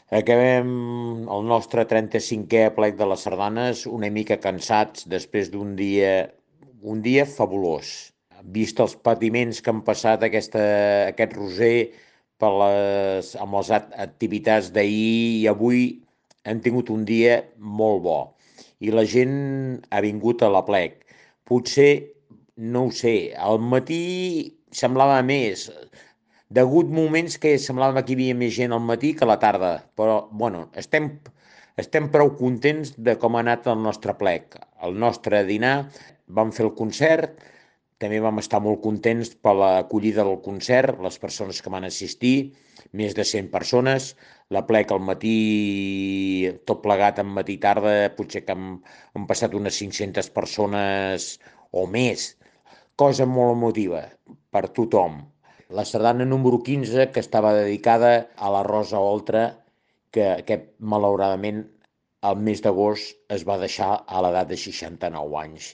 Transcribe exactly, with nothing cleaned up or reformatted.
Acabem el nostre trenta-cinquè plec de les sardanes una mica cansats després d'un dia, un dia fabulós. Vist els patiments que han passat aquesta, aquest roser per les, amb les activitats d'ahir i avui hem tingut un dia molt bo. I la gent ha vingut a la plec. Potser, no ho sé, al matí semblava més. Degut moments que semblava que hi havia més gent al matí que a la tarda, però bueno, estem, estem prou contents de com ha anat el nostre plec. El nostre dinar, vam fer el concert, també vam estar molt contents per l'acollida del concert, les persones que van assistir, més de cent persones. La plec al matí, tot plegat en matí i tarda, potser que han, han passat unes cinc-centes persones o més. Cosa molt emotiva per tothom. La sardana número quinze, que estava dedicada a la Rosa Oltra, que aquest, malauradament, al mes d'agost es va deixar a l'edat de seixanta-nou anys.